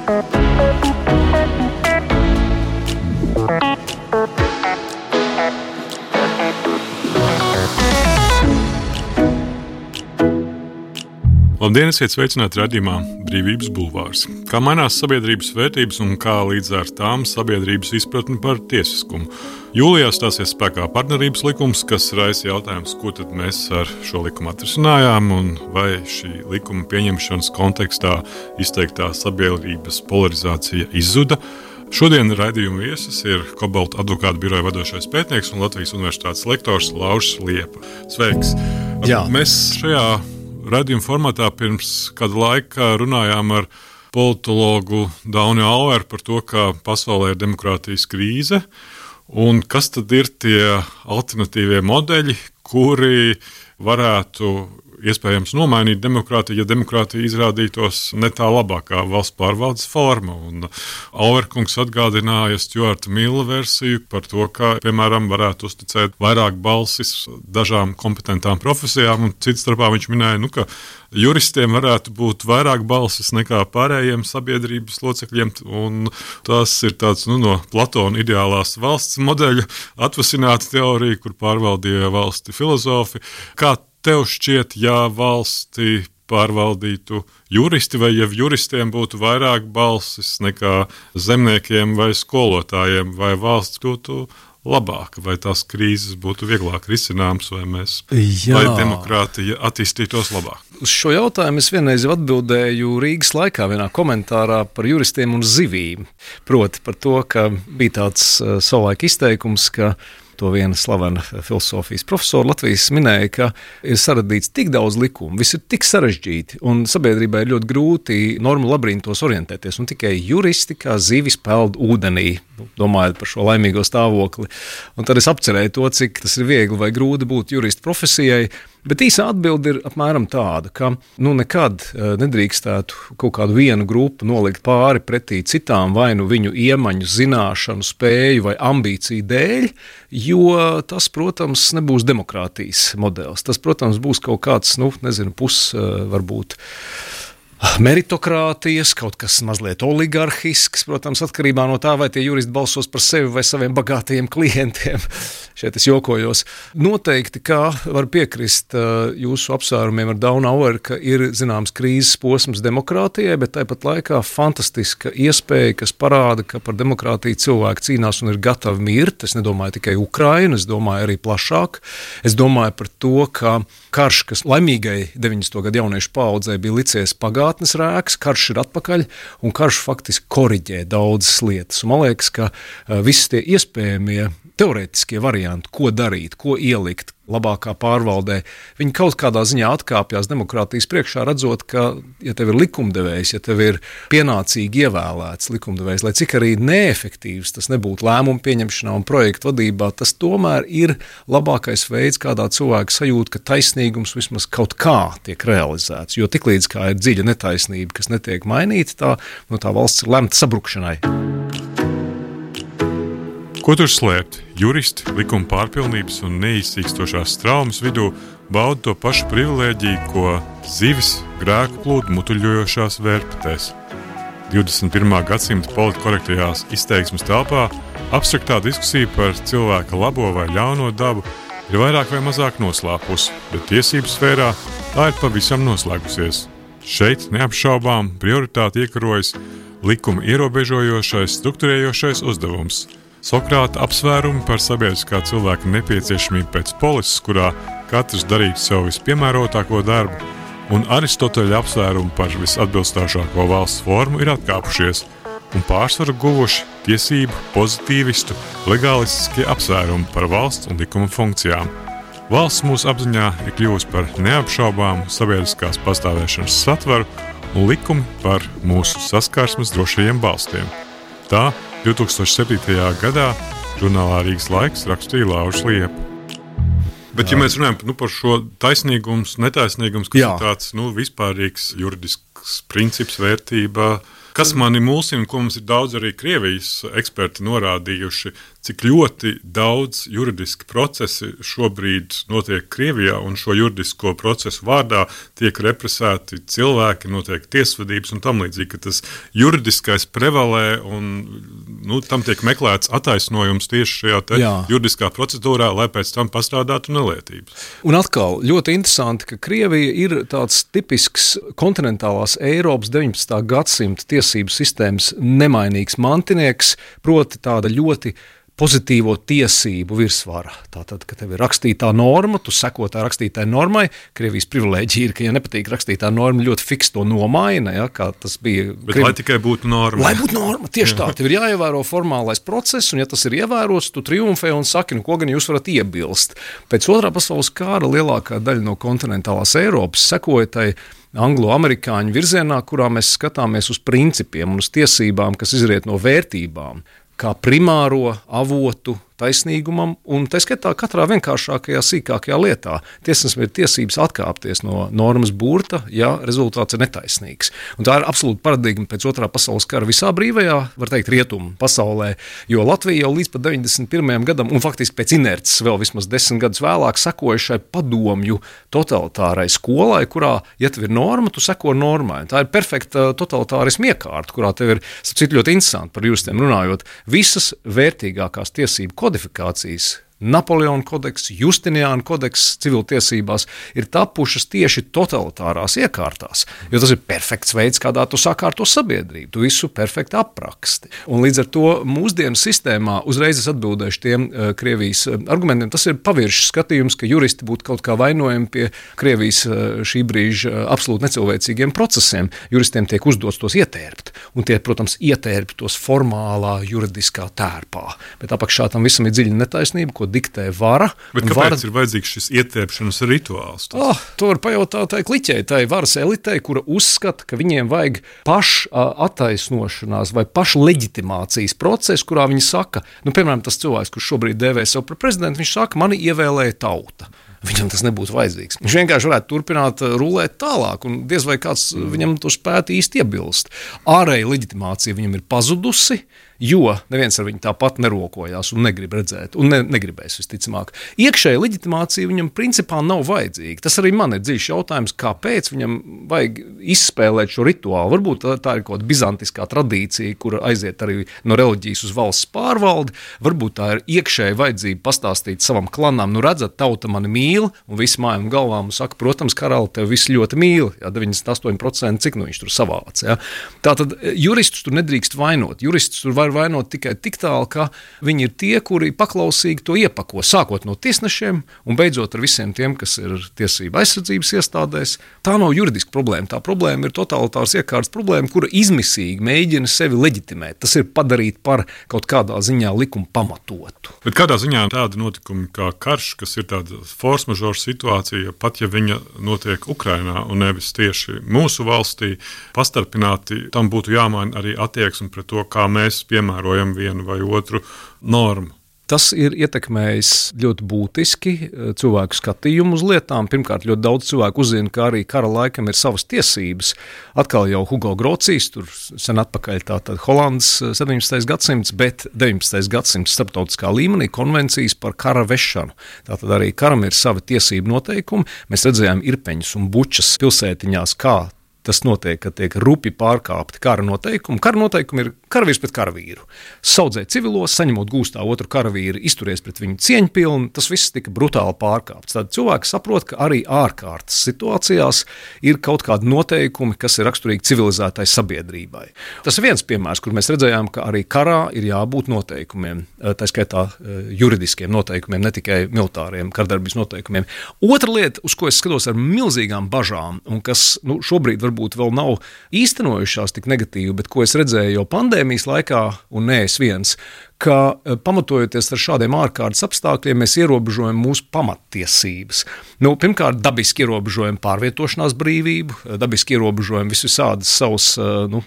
Labdien, esiet sveicināti raidījumā Brīvības bulvārs. Kā mainās sabiedrības vērtības un kā līdz ar tām sabiedrības izpratni par tiesiskumu. Jūlijā stāsies spēkā partnerības likums, kas raisa jautājums, ko tad mēs ar šo likumu atrisinājām un vai šī likuma pieņemšanas kontekstā izteiktā sabiedrības polarizācija izzuda. Šodien raidījuma viesis ir Kobalta advokātu biroja vadošais pētnieks un Latvijas universitātes lektors Lauris Liepa. Sveiks! Jā. Mēs šajā raidījuma formātā pirms kāda laika runājām ar politologu Dauni Aueru par to, ka pasaulē ir demokrātijas krīze un kas tad ir tie alternatīvie modeļi, kuri varētu iespējams nomainīt demokrātiju, ja demokrātija izrādītos ne tā labākā valsts pārvaldes forma. Un Auerkungs atgādināja Stuarta Milla versiju par to, ka, piemēram, varētu uzticēt vairāk balsis dažām kompetentām profesijām, un cits starpā viņš minēja, ka juristiem varētu būt vairāk balsis nekā pārējiem sabiedrības locekļiem, un tas ir tāds, no Platona ideālās valsts modeļa atvasināta teorija, kur pārvaldīja valsti filozofi. Kā tev šķiet, ja valsti pārvaldītu juristi, vai ja juristiem būtu vairāk balsis nekā zemniekiem vai skolotājiem, vai valsts būtu labāka, vai tās krīzes būtu vieglāk risināmas, vai demokrātija attīstītos labāk? Uz šo jautājumu es vienreiz atbildēju Rīgas laikā vienā komentārā par juristiem un zivīm. Proti par to, ka bija tāds savulaik izteikums, ka to viena slavena filosofijas profesora Latvijas minēja, ka ir saradīts tik daudz likumu, viss ir tik sarežģīti, un sabiedrībai ir ļoti grūti normu labirintos orientēties, un tikai juristi kā zivis peld ūdenī, domājot par šo laimīgo stāvokli. Un tad es apcerēju to, cik tas ir viegli vai grūti būt jurista profesijai, bet īsā atbilde ir apmēram tāda, ka nekad nedrīkstētu kaut kādu vienu grupu nolikt pāri pretī citām, vai viņu iemaņu, zināšanu, spēju vai ambīciju dēļ, jo tas, protams, nebūs demokrātijas modelis. Tas, protams, būs kaut kāds, varbūt meritokrātijas, kaut kas mazliet oligarhisks, protams, atkarībā no tā, vai tie juristi balsos par sevi vai saviem bagātajiem klientiem. Šeit es jokojos. Noteikti, kā var piekrist jūsu apsvērumiem ar Daunu Aueru, ka ir zināms krīzes posms demokrātijai, bet tāpat laikā fantastiska iespēja, kas parāda, ka par demokrātiju cilvēki cīnās un ir gatavi mirt. Es nedomāju tikai Ukrainu, es domāju arī plašāk. Es domāju par to, ka karš, kas laimīgai 90. gadu jauniešu paaudzē bija licies pagātnes rēks, karš ir atpakaļ, un karš faktiski koriģē daudzas lietas. Un man liekas, ka visi tie iespējamie teorētiskie varianti, ko darīt, ko ielikt labākā pārvaldē, viņi kaut kādā ziņā atkāpjas demokrātijas priekšā, redzot, ka, ja tev ir likumdevējs, ja tev ir pienācīgi ievēlēts likumdevējs, lai cik arī neefektīvs tas nebūtu lēmumu pieņemšanā un projektu vadībā, tas tomēr ir labākais veids, kādā cilvēks sajūt, ka taisnīgums vismaz kaut kā tiek realizēts. Jo tiklīdz kā ir dziļa netaisnība, kas netiek mainīta, tā valsts ir lemta sabrukšanai. Ko tur slēpt? Juristi, likuma pārpilnības un neizsīkstošās traumas vidū bauda to pašu privilēģiju, ko zivis grēku plūdu mutuļojošās vērpetēs. 21. gadsimta politkorektajās izteiksmes telpā abstraktā diskusija par cilvēka labo vai ļauno dabu ir vairāk vai mazāk noslēpusi, bet tiesību sfērā tā ir pavisam noslēgusies. Šeit neapšaubām prioritāti iekarojas likuma ierobežojošais, strukturējošais uzdevums. Sokrata apsvērumi par sabiedriskā cilvēka nepieciešamību pēc polises, kurā katrs darītu sev vispiemērotāko darbu, un Aristoteļa apsvērumi par visatbilstošāko valsts formu ir atkāpušies, un pārsvaru guvuši tiesību, pozitīvistu, legālistiskie apsvērumi par valsts un likuma funkcijām. Valsts mūsu apziņā ir kļuvusi par neapšaubāmu sabiedriskās pastāvēšanas satvaru un likumi par mūsu saskarsmes drošajiem balstiem. Tā 2007. gadā žurnālā Rīgas laiks rakstīja Lauris Liepa. Bet, ja mēs runājam par šo taisnīgums, netaisnīgums, kas ir tāds vispārīgs juridisks princips, vērtība, Kas mani mulsina, ko mums ir daudz arī Krievijas eksperti norādījuši, cik ļoti daudz juridiski procesi šobrīd notiek Krievijā, un šo juridisko procesu vārdā tiek represēti cilvēki, notiek tiesvedības un tam līdzīgi, ka tas juridiskais prevalē un tam tiek meklēts attaisnojums tieši šajā juridiskā procedūrā, lai pēc tam pastrādātu nelietības. Un atkal ļoti interesanti, ka Krievija ir tāds tipisks kontinentālās Eiropas 19. gadsimta tiesību sistēmas nemainīgs mantinieks, proti tāda ļoti pozitīvo tiesību virsvara. Tātad, ka tev ir rakstītā norma, tu seko tā rakstītai normai, Krievijas privilēģija ir, ka, ja nepatīk rakstītā norma, ļoti fiks to nomaina, kā tas bija. Bet lai tikai būtu norma. Lai būtu norma, tieši tā. Tev ir jāievēro formālais process, un ja tas ir ievērots, tu triumfē un saki, ko gan jūs varat iebilst. Pēc otrā pasaules kara lielākā daļa no kontinentālās Eiropas sekoja tai anglo-amerikāņu virzienā, kurā mēs skatāmies uz principiem un uz tiesībām, kas izriet no vērtībām, kā primāro avotu taisnīgumam, un tā skaitā katrā vienkāršākajā, sīkākajā lietā. Tiesnesim ir tiesības atkāpties no normas burta, ja rezultāts ir netaisnīgs. Un tā ir absolūta paradigma pēc otrā pasaules kara visā brīvajā, var teikt, rietumu pasaulē, jo Latvija jau līdz pat 91. gadam, un faktiski pēc inerces vēl vismaz 10 gadus vēlāk, sekoja šai padomju totalitārai skolai, kurā, ja tev ir norma, tu seko normai. Tā ir perfekta totalitārisma iekārta, kurā tev ir, sapcīt, ļoti interesanti par juristiem runājot, visas vērtīgākās tiesību kodifikācijas, Napoleona kodeks, Justiniāna kodeks civiltiesībās ir tapušas tieši totalitārās iekārtās, jo tas ir perfekts veids, kādā tu sakārto sabiedrību, tu visu perfekti apraksti. Un līdz ar to mūsdienu sistēmā uzreiz es atbildēšu tiem Krievijas argumentiem. Tas ir paviršs skatījums, ka juristi būtu kaut kā vainojami pie Krievijas šī brīža absolūti necilvēcīgiem procesiem. Juristiem tiek uzdots tos ietērpt, un tie, protams, ietērpt tos formālā juridiskā tērpā. Bet apakšā tam visam ir dziļa netaisnība, ko diktē vara. Bet kāpēc ir vajadzīgs šis ietērpšanas rituāls? To var pajautāt tai kliķei, tai varas elitei, kura uzskata, ka viņiem vajag pašattaisnošanās vai pašleģitimācijas procesu, kurā viņi saka, piemēram, tas cilvēks, kurš šobrīd dēvē sev par prezidentu, viņš saka, mani ievēlēja tauta. Viņam tas nebūtu vajadzīgs. Viņš vienkārši varētu turpināt rulēt tālāk, un diez vai kāds viņam to spētu īsti iebilst. Ārēja leģitimācija viņam ir pazudusi, jo neviens ar viņu tāpat nerokojās un negrib redzēt, un negribēs visticamāk. Iekšēja leģitimācija viņam principā nav vajadzīga. Tas arī man ir dziļš jautājums, kāpēc viņam vajag izspēlēt šo rituālu. Varbūt tā ir kaut kāda bizantiskā tradīcija, kura aiziet arī no reliģijas uz valsts pārvaldi. Varbūt tā ir iekšēja vajadzība pastāstīt savam klanam, redzat, tauta mani mīl, un visi mājām galvām un saka, protams, karali tev visi ļoti mīl, 98%, cik viņš tur savāc. Tātad juristus tur nedrīkst vainot. Juristus tur var vainot tikai tik tālu, ka viņi ir tie, kuri paklausīgi to iepako, sākot no tiesnešiem un beidzot ar visiem tiem, kas ir tiesība aizsardzības iestādēs. Tā nav juridiska problēma. Tā problēma ir totalitāras iekārtas problēma, kura izmisīgi mēģina sevi leģitimēt. Tas ir padarīt par kaut kādā ziņā likumu pamatotu. Bet kādā ziņā tāda notikuma kā karš, kas ir tāda force majeure situācija, pat ja viņa notiek Ukrainā un nevis tieši mūsu valstī, pastarpināti, tam būtu jāmaina arī attieksme pret to, kā mēs piemērojam vienu vai otru normu. Tas ir ietekmējis ļoti būtiski cilvēku skatījumu uz lietām. Pirmkārt, ļoti daudz cilvēku uzzina, ka arī kara laikam ir savas tiesības. Atkal jau Hugo Grocijs, tur sen atpakaļ tātad Holandas 17. gadsimts, bet 19. gadsimts starptautiskā līmenī konvencijas par kara vešanu. Tātad arī karam ir savi tiesību noteikumi. Mēs redzējām Irpeņas un Bučas pilsētiņās, kā tas notiek, ka tiek rupi pārkāpti kara noteikumi. Kara noteikumi ir karavīrs pret karavīru. Saudzēt civilos, saņemot gūstā otru karavīru, izturies pret viņu cieņpilni, tas viss tika brutāli pārkāpts. Tad cilvēki saprot, ka arī ārkārtas situācijās ir kaut kādi noteikumi, kas ir raksturīgi civilizētai sabiedrībai. Tas ir viens piemērs, kur mēs redzējām, ka arī karā ir jābūt noteikumiem, tā skaitā juridiskiem noteikumiem, ne tikai militāriem kardarbības noteikumiem. Otra lieta, uz ko es skatos ar milzīgām bažām, un kas šobrīd varbūt vēl nav īstenojušās tik negatīvi, bet ko es redzēju jau pandēmijas laikā, un ne es viens, ka pamatojoties ar šādiem ārkārtas apstākļiem, mēs ierobežojam mūsu pamattiesības. Pirmkārt, dabiski ierobežojam pārvietošanās brīvību, dabiski ierobežojam visādas savas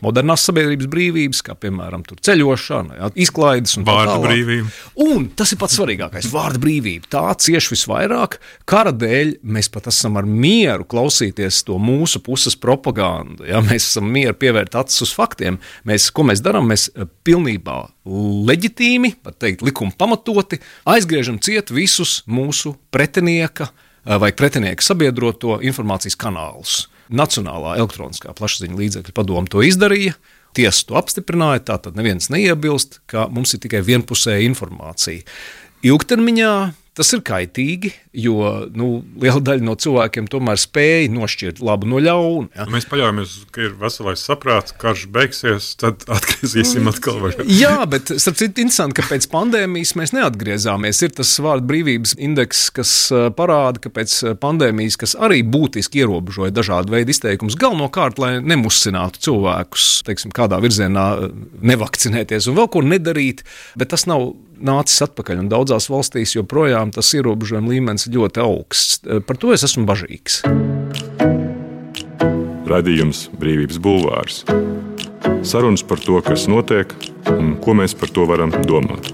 modernās sabiedrības brīvības, kā piemēram ceļošana, izklaides un vārda brīvība. Un tas ir pats svarīgākais - vārda brīvība. Tā cieš visvairāk. Kara dēļ mēs pat esam ar mieru klausīties to mūsu puses propagandu. Ja? Mēs esam mieru pievērt acis uz faktiem. Ko mēs darām? Mēs pilnībā leģitīmi, pat teikt, likuma pamatoti, aizgriežam ciet visus mūsu pretinieka vai pretinieka sabiedroto informācijas kanālus. Nacionālā elektroniskā plašsaziņas līdzekļu padome to izdarīja, tiesa to apstiprināja, tātad neviens neiebilst, ka mums ir tikai vienpusēja informācija. Ilgtermiņā tas ir kaitīgi, jo liela daļa no cilvēkiem tomēr spēja nošķirt labu no ļauna. Ja? Mēs paļaujamies, ka ir veselais saprāts, karš beigsies, tad atgriezīsim atkal. Jā, bet starp citu interesanti, ka pēc pandēmijas mēs neatgriezāmies. Ir tas vārdu brīvības indeks, kas parāda, ka pēc pandēmijas, kas arī būtiski ierobežoja dažādu veidu izteikumus, galvenokārt, lai nemusinātu cilvēkus, teiksim, kādā virzienā nevakcinēties un vēl ko nedarīt, bet tas nav nācis atpakaļ, un daudzās valstīs joprojām tas ierobežojuma līmenis ir ļoti augsts. Par to es esmu bažīgs. Radījums Brīvības bulvārs. Sarunas par to, kas notiek un ko mēs par to varam domāt.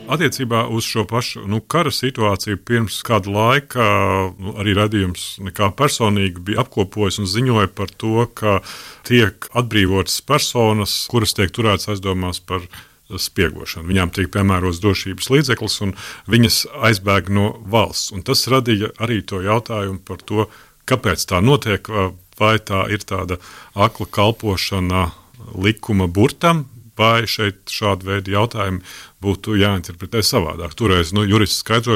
Attiecībā uz šo pašu kara situāciju pirms kāda laika arī radījums nekā personīgi bija apkopojis un ziņoja par to, ka tiek atbrīvotas personas, kuras tiek turētas aizdomās par spiegošanu. Viņām tiek piemērots drošības līdzeklis un viņas aizbēg no valsts. Un tas radīja arī to jautājumu par to, kāpēc tā notiek, vai tā ir tāda akla kalpošana likuma burtam, vai šeit šāda veida jautājumi būtu jāinterpretē savādāk. Toreiz jurists skaidroja,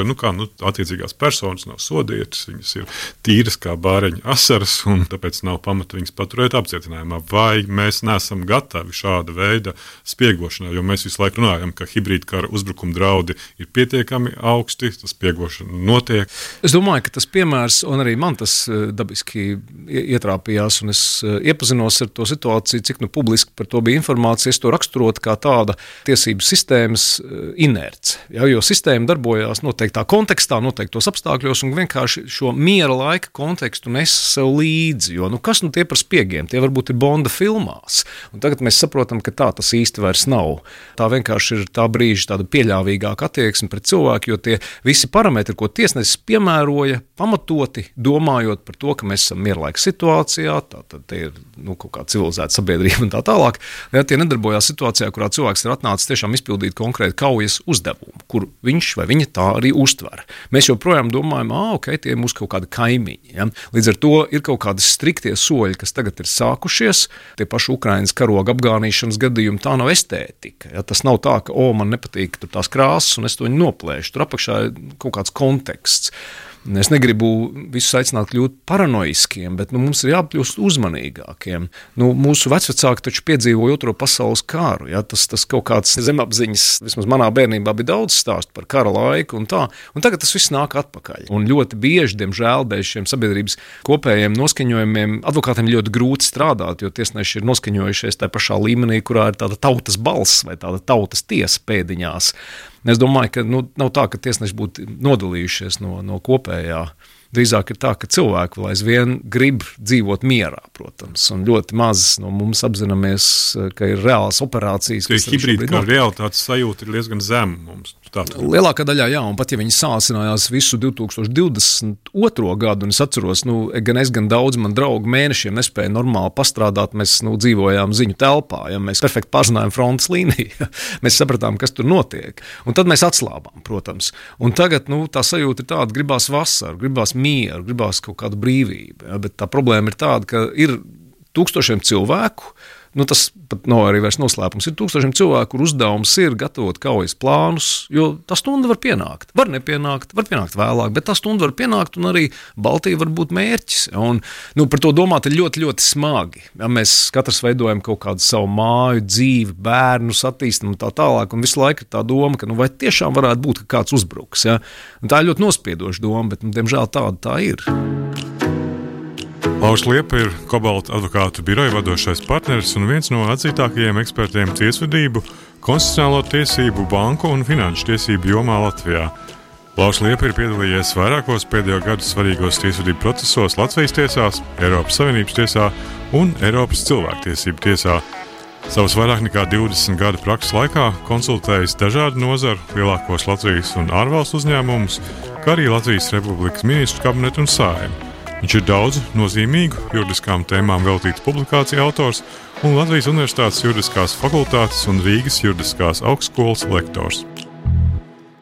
attiecīgās personas nav sodītas, viņas ir tīras kā bāreņa asaras, un tāpēc nav pamata viņas paturēt apcietinājumā. Vai mēs neesam gatavi šāda veida spiegošanai, jo mēs visu laiku runājam, ka hibrīdkara uzbrukuma draudi ir pietiekami augsti, tas spiegošana notiek. Es domāju, ka tas piemērs, un arī man tas dabiski ietrāpījās, un es iepazinos ar to situāciju, cik publiski par to bija informācija, es to raksturotu kā tāda tiesības sistēmas inerce, jo sistēma darbojās noteiktā kontekstā, noteiktos apstākļos un vienkārši šo miera laika kontekstu nes sev līdzi, jo kas tie par spiegiem, tie varbūt ir Bonda filmās, un tagad mēs saprotam, ka tā tas īsti vairs nav. Tā vienkārši ir tā brīža tāda pieļāvīgāka attieksme pret cilvēku, jo tie visi parametri, ko tiesnesis piemēroja, pamatoti domājot par to, ka mēs esam mierlaika situācijā, tātad te ir kaut kā civilizēta sabiedrība un tā tālāk, ja tie nedarbojās situācijā, kurā cilvēks ir atnācis tiešām izpildīt konkrēti kaujas uzdevumu, kur viņš vai viņa tā arī uztver. Mēs joprojām domājam, tie ir mūsu kaut kādi kaimiņi. Ja? Līdz ar to ir kaut kādi striktie soļi, kas tagad ir sākušies, tie paši Ukrainas karoga apgānīšanas gadījumi, tā nav estētika. Ja? Tas nav tā, ka, man nepatīk tur tās krāsas un es to viņu noplēšu. Tur apakšā ir kaut kāds konteksts. Es negribu visus aicināt kļūt paranoiskiem, bet mums ir jākļūst uzmanīgākiem. Mūsu vecvecāki taču piedzīvoja Otro pasaules karu. Ja? Tas kaut kāds zemapziņas, vismaz manā bērnībā bija daudz stāstu par kara laiku un tā. Un tagad tas viss nāk atpakaļ. Un ļoti bieži, diemžēl, bez šiem sabiedrības kopējiem noskaņojumiem advokātiem ļoti grūti strādāt, jo tiesneši ir noskaņojušies tajā pašā līmenī, kurā ir tāda tautas balss vai tāda tautas tiesa pēdiņās. Es domāju, ka nav tā, ka tiesneši būtu nodalījušies no kopējā. Drīzāk ir tā, ka cilvēki vēl aizvien grib dzīvot mierā, protams, un ļoti maz no mums apzināmies, ka ir reālas operācijas. Hibrīdkara realitātes sajūta ir diezgan zema mums. Lielākā daļā, jā, un pat ja viņi sāsinājās visu 2022. gadu, un es atceros, gan es, gan daudz man draugu mēnešiem nespēja normāli pastrādāt, mēs dzīvojām ziņu telpā, ja mēs perfekti pārzinājām frontes līniju, mēs sapratām, kas tur notiek, un tad mēs atslābām, protams, un tagad, tā sajūta ir tāda, gribās vasaru, gribās mieru, gribās kaut kādu brīvību, ja, bet tā problēma ir tāda, ka ir tūkstošiem cilvēku, tas pat nav arī vairs noslēpums, ir tūkstošiem cilvēku, kur uzdevums ir gatavot kaujas plānus, jo tā stunda var pienākt. Var nepienākt, var pienākt vēlāk, bet tā stunda var pienākt un arī Baltija var būt mērķis. Un, par to domāt ir ļoti, ļoti smagi. Ja, mēs katrs veidojam kaut kādu savu māju, dzīvi, bērnus attīstam un tā tālāk, un visu laiku ir tā doma, ka vai tiešām varētu būt, ka kāds uzbruks. Ja? Un tā ir ļoti nospiedoša doma, bet diemžēl tāda tā ir. Lauris Liepa ir Kobalta advokātu biroja vadošais partneris un viens no atzītākajiem ekspertiem tiesvedību, konstitucionālo tiesību, banku un finanšu tiesību jomā Latvijā. Lauris Liepa ir piedalījies vairākos pēdējo gadu svarīgos tiesvedību procesos Latvijas tiesās, Eiropas Savienības tiesā un Eiropas cilvēktiesību tiesā. Savas vairāk nekā 20 gadu prakses laikā konsultējis dažādu nozaru, lielākos Latvijas un ārvalstu uzņēmumus, kā arī Latvijas Republikas ministru kabinetu un Saeimu. Viņš ir daudz nozīmīgu juridiskām tēmām veltīts publikāciju autors un Latvijas Universitātes juridiskās fakultātes un Rīgas juridiskās augstskolas lektors.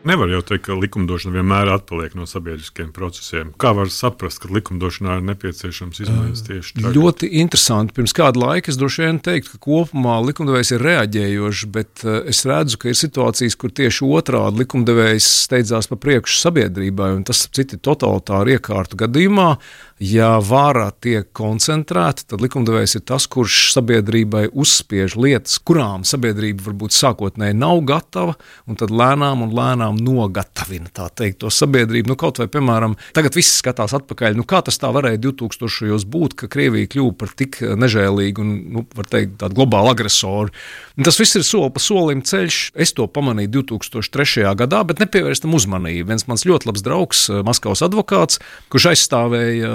Nevar jau teikt, ka likumdošana vienmēr atpaliek no sabiedriskiem procesiem. Kā var saprast, ka likumdošanā ir nepieciešams izmaiņas tieši tagad? Ļoti interesanti. Pirms kāda laika es droši vien teiktu, ka kopumā likumdevējs ir reaģējošs, bet es redzu, ka ir situācijas, kur tieši otrādi likumdevējs steidzās pa priekšu sabiedrībai, un tas citi totalitāru iekārtu gadījumā. Ja vara tiek koncentrēta, tad likumdevējs ir tas, kurš sabiedrībai uzspiež lietas, kurām sabiedrība varbūt sākotnēji nav gatava, un tad lēnām nogatavina, tā teikt, to sabiedrību. Kaut vai, piemēram, tagad viss skatās atpakaļ, kā tas tā varēja 2000. Būt, ka Krievija kļuva par tik nežēlīgu un, var teikt, tādu globālu agresoru. Un tas viss ir soli pa solim ceļš. Es to pamanīju 2003. gadā, bet nepievērst tam uzmanību. Viens mans ļoti labs draugs, Maskavas advokāts, kurš aizstāvēja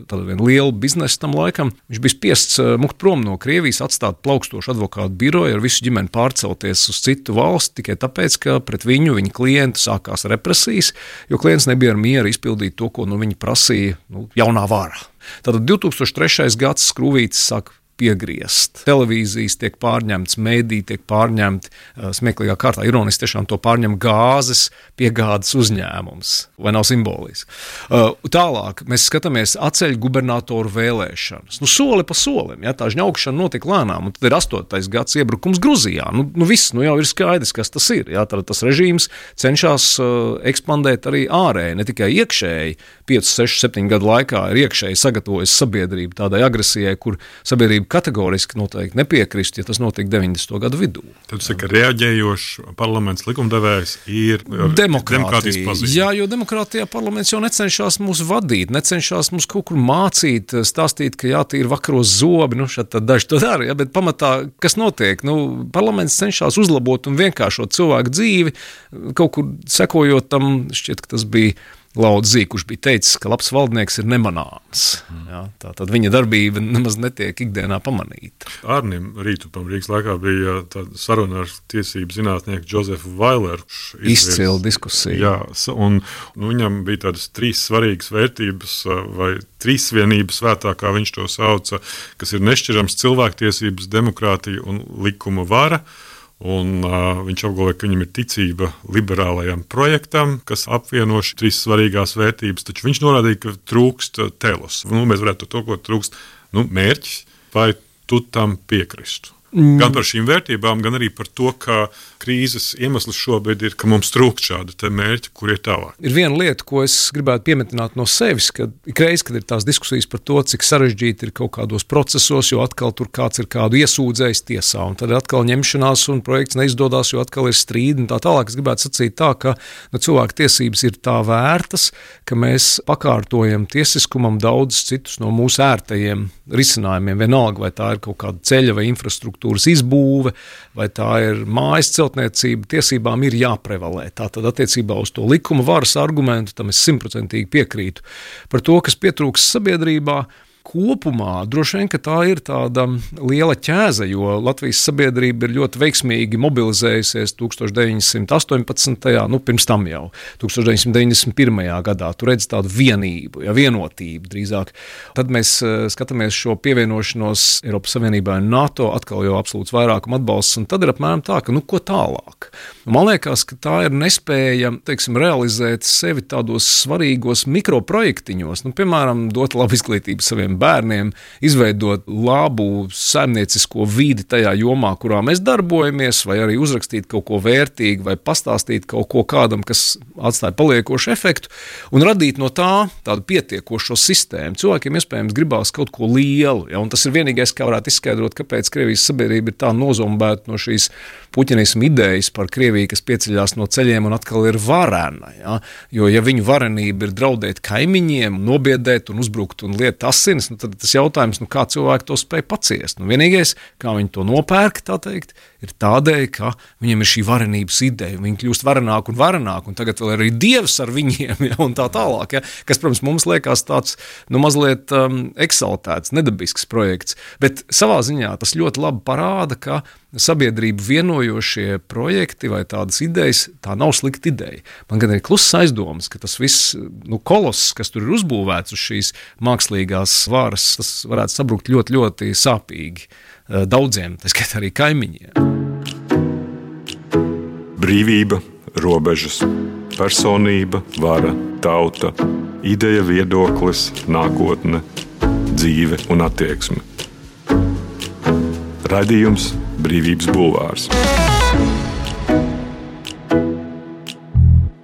tādu vienu lielu biznesu tam laikam, viņš bija spiests mukt prom no Krievijas, atstāt plaukstošu advokātu biroju, ar visu ģimeni pārcelties uz citu valsti, tikai tāpēc, ka pret viņa klientu sākās represijas, jo klients nebija ar mieru izpildīt to, ko viņi prasīja jaunā vara. Tātad 2003. gads skrūvītes sāk piegriezt. Televīzijas tiek pārņemtas, mēdī tiek pārņemti, smieklīgā kārtā, ironiski tiešām to pārņem gāzes piegādes uzņēmums, vai nav simboliski. Tālāk mēs skatāmies atceļ gubernatoru vēlēšanas. Soli pa solim, tā žņaukšana notika lēnām, un tad ir 8. gads iebrukums Gruzijā. Viss, jau ir skaidrs, kas tas ir. Tad tas režīms cenšas ekspandēt arī ārēji, ne tikai iekšēji. 5, 6, 7 gadu laikā ir iekšēji sagatavojas sabiedrību tādai agresijai, kur sabiedrība kategoriski noteikti nepiekrist, ja tas notiek 90. gadu vidū. Tad jūs sakat, ka reaģējošs parlaments likumdevējs ir demokrātijas pazīme. Jā, jo demokrātijā parlaments jau necenšas mūs vadīt, necenšas mūs kaut kur mācīt, stāstīt, ka jātīra vakaros zobi, tad daži to dara, bet pamatā, kas notiek? Parlaments cenšas uzlabot un vienkāršot cilvēku dzīvi, kaut kur sekojot tam, šķiet, ka tas bija Lauds Zīle, kurš bija teicis, ka labs valdnieks ir nemanāms. Tātad viņa darbība nemaz netiek ikdienā pamanīta. Arnim Rītupam Rīgas laikā bija tāda saruna ar tiesību zinātnieku Džozefu Vaileru. Izcila diskusija. Jā, un viņam bija tādas 3 svarīgas vērtības vai trīsvienības svētā, kā viņš to sauca, kas ir nešķirams cilvēktiesības, demokrātija un likuma vara. Un viņš apgalvoja, ka viņam ir ticība liberālajam projektam, kas apvieno 3 svarīgās vērtības, taču viņš norādīja, ka trūkst telos. Mēs varētu to, ko trūkst mērķis, vai tu tam piekristu. Gan par šīm vērtībām, gan arī par to, ka krīzes iemesls šobrīd ir, ka mums trūkst šādi te mērķi, kur ir tālāk. Ir viena lieta, ko es gribētu piemetināt no sevis, ka ikreiz, kad ir tās diskusijas par to, cik sarežģīti ir kaut kādos procesos, jo atkal tur kāds ir kādu iesūdzējis tiesā, un tad atkal ņemšanās un projekts neizdodas, jo atkal ir strīdi un tā tālāk. Es gribētu sacīt tā, ka cilvēku tiesības ir tā vērtas, ka mēs pakārtojam tiesiskumam daudz citus no mūsu ērtajiem risinājumiem, vienalga, vai tā ir kaut kāda ceļa vai infrastruktūras izbūve, vai tā ir mājas celtniecība, tiesībām ir jāprevalē. Tātad attiecībā uz to likuma varas argumentu, tam es 100% piekrītu. Par to, kas pietrūks sabiedrībā, kopumā droši vien, ka tā ir tāda liela ķēze, jo Latvijas sabiedrība ir ļoti veiksmīgi mobilizējusies 1918. Pirms tam jau, 1991. gadā. Tu redzi tādu vienību, vienotību drīzāk. Tad mēs skatāmies šo pievienošanos Eiropas Savienībā un NATO, atkal jau absolūts vairākuma atbalsts, un tad ir apmēram tā, ka ko tālāk? Man liekas, ka tā ir nespēja, realizēt sevi tādos svarīgos mikroprojektiņos, piemēram, dot labu izglītību saviem bērniem, izveidot labu saimniecisko vidi tajā jomā, kurā mēs darbojamies, vai arī uzrakstīt kaut ko vērtīgu, vai pastāstīt kaut ko kādam, kas atstāja paliekošu efektu, un radīt no tā tādu pietiekošo sistēmu. Cilvēkiem iespējams gribās kaut ko lielu, un tas ir vienīgais, kā varētu izskaidrot, kāpēc Krievijas sabiedrība ir tā nozombēta no šīs puķinismu idejas par Krieviju, kas pieceļās no ceļiem un atkal ir varena. Jo, ja viņu varenība ir draudēt kaimiņiem, nobiedēt un uzbrukt un liet asinis, nu, tad tas jautājums, kā cilvēki to spēj paciest. Vienīgais, kā viņi to nopērk, tā teikt, ir tādēļ, ka viņiem ir šī varenības ideja, viņi kļūst varenāk un tagad vēl arī dievs ar viņiem, ja, un tā tālāk, ja, kas, protams, mums liekas tāds, mazliet eksaltēts, nedabisks projekts, bet savā ziņā tas ļoti labi parāda, ka sabiedrību vienojošie projekti vai tādas idejas, tā nav slikta ideja. Man gan ir kluss aizdomas, ka tas viss, koloss, kas tur ir uzbūvēts uz šīs mākslīgās varas, tas varētu sabrukt ļoti, ļoti sāpīgi daudziem, tā skaitā arī kaimiņiem. Brīvība, robežas, personība, vara, tauta, ideja, viedoklis, nākotne, dzīve un attieksme. Raidījums Brīvības bulvārs.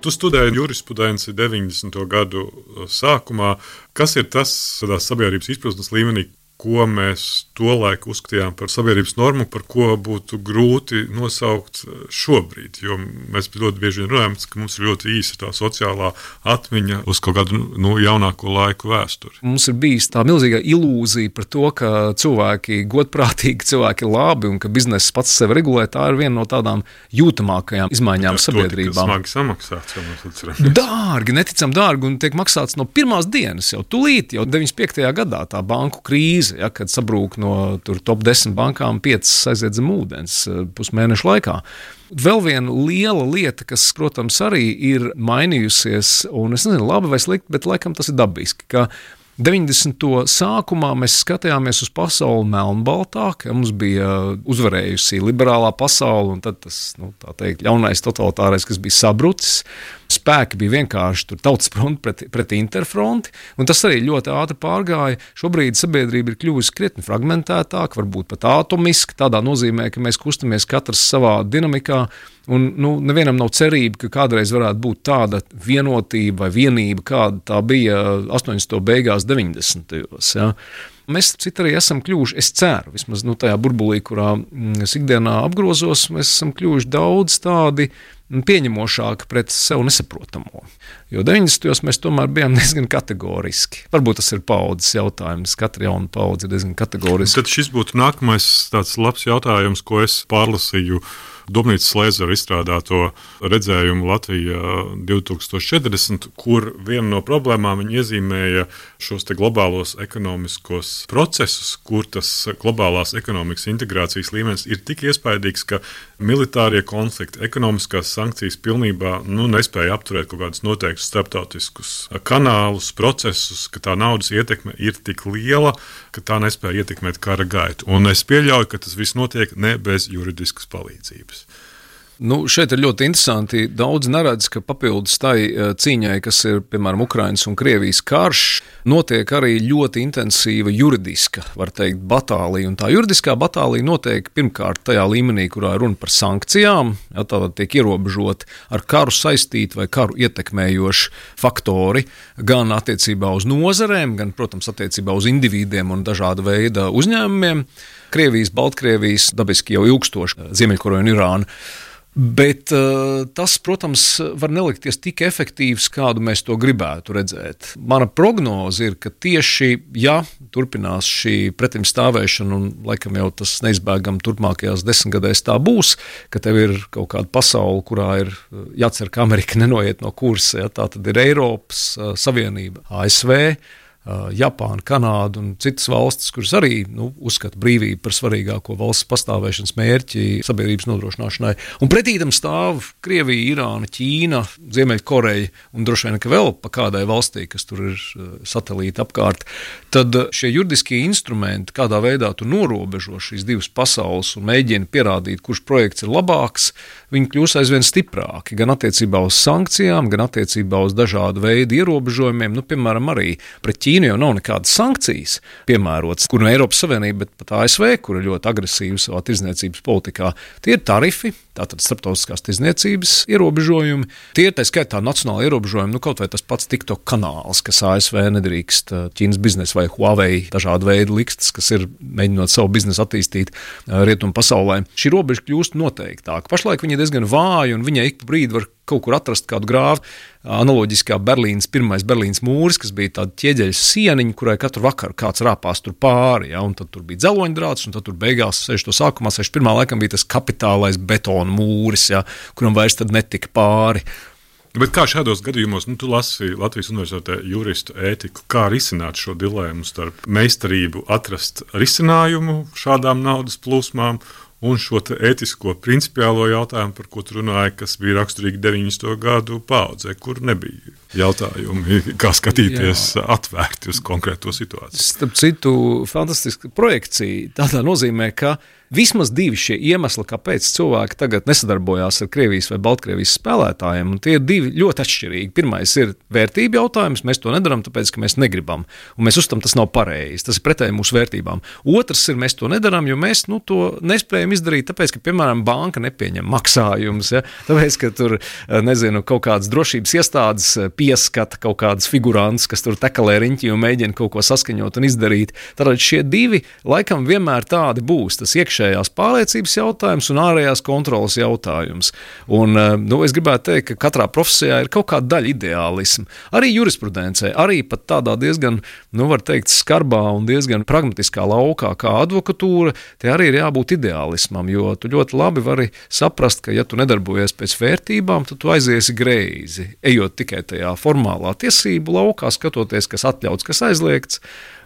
Tu studēji jurisprudenci 90. gadu sākumā. Kas ir tas tādā sabiedrības izpratnes līmenī, ko mēs tolaik uzskatījām par sabiedrības normu, par ko būtu grūti nosaukt šobrīd? Jo mēs ļoti bieži runājam, ka mums ir ļoti īsa tā sociālā atmiņa uz kaut kādu jaunāko laiku vēsturi. Mums ir bijis tā milzīga ilūzija par to, ka cilvēki godprātīgi, cilvēki labi un ka bizness pats sevi regulē. Tā ir viena no tādām jūtamākajām izmaiņām sabiedrībām. Smagi samaksāts, jau mēs atceramies. Dārgi, neticam dārgi un tiek maksāts no pirmās dienas, jau tūlīt, jau 95. gadā tā banku krīze. Ja, kad sabrūk no top 10 bankām 5 aiziet zem ūdens pusmēnešu laikā. Vēl viena liela lieta, kas, protams, arī ir mainījusies, un es nezinu, labi vai slikti, bet laikam tas ir dabiski, ka 90. sākumā mēs skatījāmies uz pasauli melnbaltāk, ja mums bija uzvarējusi liberālā pasaule, un tad tas, tā teikt, ļaunais totalitārais, kas bija sabrucis. Spēki bija vienkārši tautas fronti pret interfronti, un tas arī ļoti ātri pārgāja. Šobrīd sabiedrība ir kļuvusi krietni fragmentētāka, varbūt pat atomiski, tādā nozīmē, ka mēs kustamies katrs savā dinamikā, un nevienam nav cerība, ka kādreiz varētu būt tāda vienotība vai vienība, kāda tā bija 80. beigās 90. Ja. Mēs arī esam kļuvuši, es ceru, vismaz tajā burbulī, kurā es ikdienā apgrozos, mēs esam kļuvuši daudz tādi pieņemošāki pret sev nesaprotamo. Jo 90. mēs tomēr bijām diezgan kategoriski. Varbūt tas ir paudzes jautājums, katra jauna paudze ir diezgan kategoriska. Tad šis būtu nākamais tāds labs jautājums, ko es pārlasīju Domnīcas Lēzera izstrādāto redzējumu Latvija 2040, kur viena no problēmām viņi iezīmēja šos te globālos ekonomiskos procesus, kur tas globālās ekonomikas integrācijas līmenis ir tik iespaidīgs, ka militārie konflikti, ekonomiskās sankcijas pilnībā nespēja apturēt kaut kādus noteiktus starptautiskus kanālus, procesus, ka tā naudas ietekme ir tik liela, ka tā nespēja ietekmēt kara gaitu. Un es pieļauju, ka tas viss notiek ne bez juridiskas palīdzības. Šeit ir ļoti interesanti. Daudz neredz, ka papildus tai cīņai, kas ir, piemēram, Ukrainas un Krievijas karš, notiek arī ļoti intensīva juridiska, var teikt, batālija. Un tā juridiskā batālija notiek pirmkārt tajā līmenī, kurā runa par sankcijām, ja, tātad tiek ierobežoti ar karu saistīti vai karu ietekmējoši faktori, gan attiecībā uz nozarēm, gan, protams, attiecībā uz individiem un dažāda veida uzņēmumiem. Krievijas, Baltkrievijas, dabiski jau ilgstoši, Ziemeļkoreja un Irāna. Bet tas, protams, var nelikties tik efektīvs, kādu mēs to gribētu redzēt. Mana prognoze ir, ka tieši, ja turpinās šī pretimstāvēšana, un laikam jau tas neizbēgam turpmākajās 10 gadēs tā būs, ka tev ir kaut kāda pasaule, kurā ir jācer, ka Amerika nenoiet no kursa, ja, tā tad ir Eiropas Savienība, ASV, Japāna, Kanāda un citas valstis, kuras arī uzskata brīvību par svarīgāko valsts pastāvēšanas mērķi sabiedrības nodrošināšanai. Un pretī tam stāv Krievija, Irāna, Ķīna, Ziemeļkoreja un droši vien, ka vēl pa kādai valstī, kas tur ir satelīti apkārt. Tad šie juridiskie instrumenti, kādā veidā tu norobežo šīs divas pasaules un mēģini pierādīt, kurš projekts ir labāks, viņi kļūs aizvien stiprāki, gan attiecībā uz sankcijām, gan attiecībā uz dažādu veidu ierobežojumiem, piemēram, arī pret Ķīnu jau nav nekādas sankcijas piemērotas, kur no Eiropas Savienība, bet pat ASV, kur ir ļoti agresīva savā tirdzniecības politikā. Tie ir tarifi, tātad starptautiskās tirdzniecības ierobežojumi. Tie ir tā skaitā nacionāli ierobežojumi, kaut vai tas pats TikTok kanāls, kas ASV nedrīkst Ķīnas biznesa vai Huawei dažādu veidu likstas, kas ir mēģinot savu biznesu attīstīt rietumu pasaulē. Šī robeža kļūst noteiktāka. Pašlaik viņa diezgan vāja, un viņa ik pa brīdi var kaut kur atrast kādu grāvu. Analoģiskā pirmais Berlīnas mūris, kas bija tāda ķieģeļa sieniņa, kurai katru vakaru kāds rāpās tur pāri, un tad tur bija dzeloņdrāts, un tad tur beigās 61. laikam bija tas kapitālais betona mūris, kuram vairs tad netika pāri. Bet kā šādos gadījumos, tu lasi Latvijas Universitātē juristu ētiku, kā risināt šo dilēmu starp meistarību atrast risinājumu šādām naudas plūsmām un šo ētisko principiālo jautājumu, par ko tu runāji, kas bija raksturīgi 90. gadu paaudzē, kur nebija jautājumi, kā skatīties atvērti uz konkrēto situāciju. Starp citu, fantastiska projekcija tādā nozīmē, ka vismaz divi šie iemesli, kāpēc cilvēki tagad nesadarbojās ar Krievijas vai Baltkrievijas spēlētājiem, un tie ir divi ļoti atšķirīgi. Pirmais ir vērtība jautājums, mēs to nedaram, tāpēc, ka mēs negribam, un mēs uzstam, tas nav pareizi, tas ir pretēji mūsu vērtībām. Otrs ir, mēs to nedaram, jo mēs to nespējam izdarīt, tāpēc, ka, piemēram, banka nepieņem maksājumus, tāpēc, ka tur, kaut kādas drošības iestādes pieskata kaut kādas figurantus, kas tur tekalē riņķi un mēģina kaut ko saskaņot un izdarīt. Tātad šie divi laikam vienmēr tādi būs, tas iekšējās pārliecības jautājums un ārējās kontrolas jautājums. Un, es gribētu teikt, ka katrā profesijā ir kaut kāda daļa ideālisma. Arī jurisprudencē, arī pat tādā diezgan, var teikt, skarbā un diezgan pragmatiskā laukā kā advokatūra, te arī ir jābūt ideālismam, jo tu ļoti labi vari saprast, ka ja tu nedarbojies pēc vērtībām, tad tu aiziesi greizi, ejot tikai tajā formālā tiesību laukā, skatoties, kas atļauts, kas aizliegts,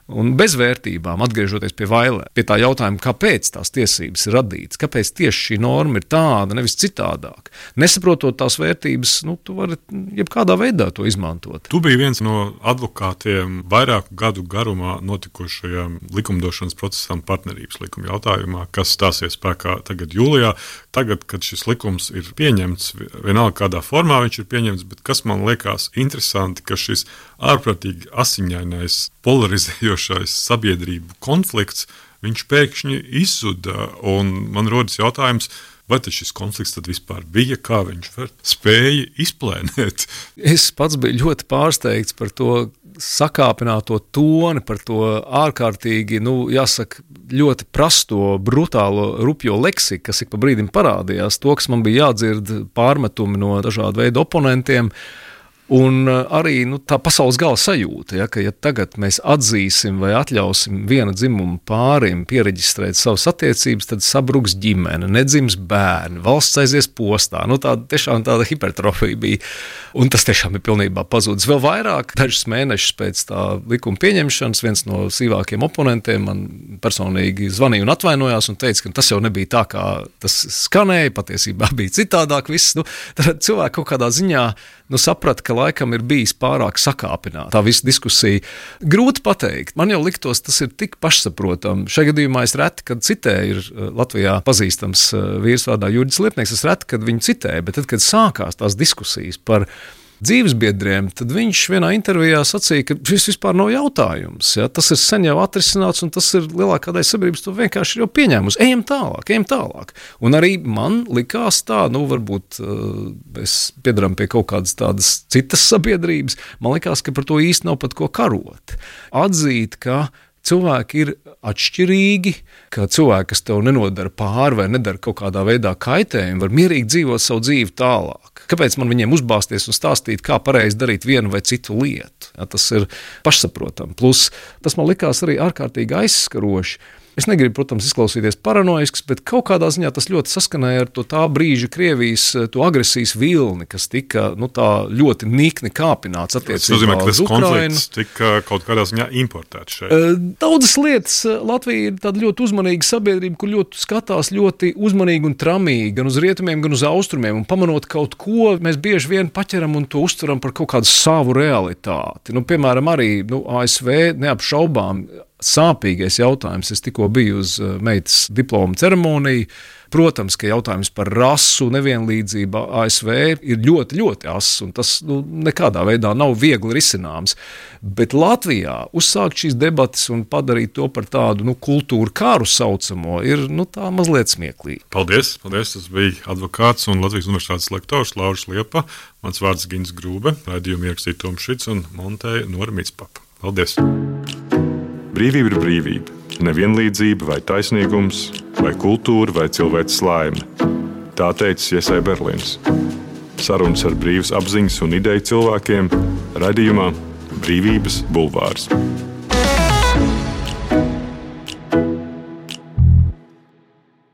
un bez vērtībām, atgriežoties pie vailē, pie tā jautājuma, kāpēc tās tiesības ir radītas, kāpēc tieši šī norma ir tāda, nevis citādāk. Nesaprotot tās vērtības, tu vari jebkādā veidā to izmantot. Tu biji viens no advokātiem vairāku gadu garumā notikušajām likumdošanas procesām partnerības likuma jautājumā, kas stāsies spēkā tagad jūlijā. Tagad, kad šis likums ir pieņemts, vienalga kādā formā viņš ir pieņemts, bet kas man liekas interesanti, ka šis ārprātīgi asiņainais, polarizējošais sabiedrību konflikts, viņš pēkšņi izzuda, un man rodas jautājums, vai šis konflikts tad vispār bija, kā viņš spēja izplēnēt? Es pats biju ļoti pārsteigts par to sakāpināto toni, par to ārkārtīgi, jāsaka, ļoti prasto, brutālo, rupjo leksiku, kas ik pa brīdim parādījās, to, kas man bija jādzird pārmetumi no dažādu veidu oponentiem. Un arī tā pasaules gala sajūta, ka ja tagad mēs atzīsim vai atļausim viena dzimuma pārim piereģistrēt savas attiecības, tad sabruks ģimene, nedzims bērni, valsts aizies postā. Tiešām tāda hipertrofija bija. Un tas tiešām ir pilnībā pazudis. Vēl vairāk, dažus mēnešus pēc tā likuma pieņemšanas, viens no sīvākiem oponentiem man personīgi zvanīja un atvainojās un teica, ka tas jau nebija tā, kā tas skanēja, patiesībā bija citādāk viss. Tad cilvēki kaut kādā ziņā saprata, ka laikam ir bijis pārāk sakāpināta tā visa diskusija. Grūti pateikt. Man jau liktos, tas ir tik pašsaprotami. Šajā gadījumā es reti, kad citēju, ir Latvijā pazīstams vīrs vārdā Jurģis Liepnieks, es reti, kad viņu citēju, bet tad, kad sākās tās diskusijas par dzīvesbiedriem, tad viņš vienā intervijā sacīja, ka šis vispār nav jautājums. Tas ir sen jau atrisināts, un tas ir lielākā daļa sabiedrības to vienkārši jau pieņēmusi. Ejam tālāk. Un arī man likās tā, varbūt mēs piedaram pie kaut kādas tādas citas sabiedrības, man likās, ka par to īsti nav pat ko karot. Atzīt, ka cilvēki ir atšķirīgi, ka cilvēki, kas tev nenodara pāri vai nedara kaut kādā veidā kaitējumu, var mierīgi dzīvot savu dzīvi tālāk. Kāpēc man viņiem uzbāzties un stāstīt, kā pareizi darīt vienu vai citu lietu? Tas ir pašsaprotami. Plus, tas man likās arī ārkārtīgi aizskaroši. Es negribu, protams, izklausīties paranoisks, bet kaut kādā ziņā tas ļoti saskanēja ar to tā brīža Krievijas to agresijas vilni, kas tika tā ļoti nikni kāpināts attiecībā uz Ukrainu. Tas nozīmē, ka tas konflikts tika kaut kādā ziņā importēts šeit. Daudzas lietas. Latvija ir tāda ļoti uzmanīga sabiedrība, kur ļoti skatās ļoti uzmanīgi un tramīgi, gan uz rietumiem, gan uz austrumiem, un pamanot kaut ko, mēs bieži vien paķeram un to uztveram par kaut kādu savu realitāti. Piemēram, arī ASV neapšaubām sāpīgais jautājums. Es tikko biju uz meitas diploma ceremoniju. Protams, ka jautājums par rasu nevienlīdzību ASV ir ļoti, ļoti ass, un tas nekādā veidā nav viegli risināms. Bet Latvijā uzsākt šīs debatas un padarīt to par tādu kultūru kāru saucamo ir tā mazliet smieklīgi. Paldies! Tas bija advokāts un Latvijas Universitātes lektors Lauris Liepa. Mans vārds Gins Grūbe, raidījumu ierakstīja Toms Šits un montēja Nora Mitspapa. Paldies! Brīvība ir brīvība. Nevienlīdzība vai taisnīgums, vai kultūra, vai cilvēces laime. Tā teica Iesai Berlīns. Sarunas ar brīvas apziņas un ideju cilvēkiem raidījumā Brīvības bulvārs.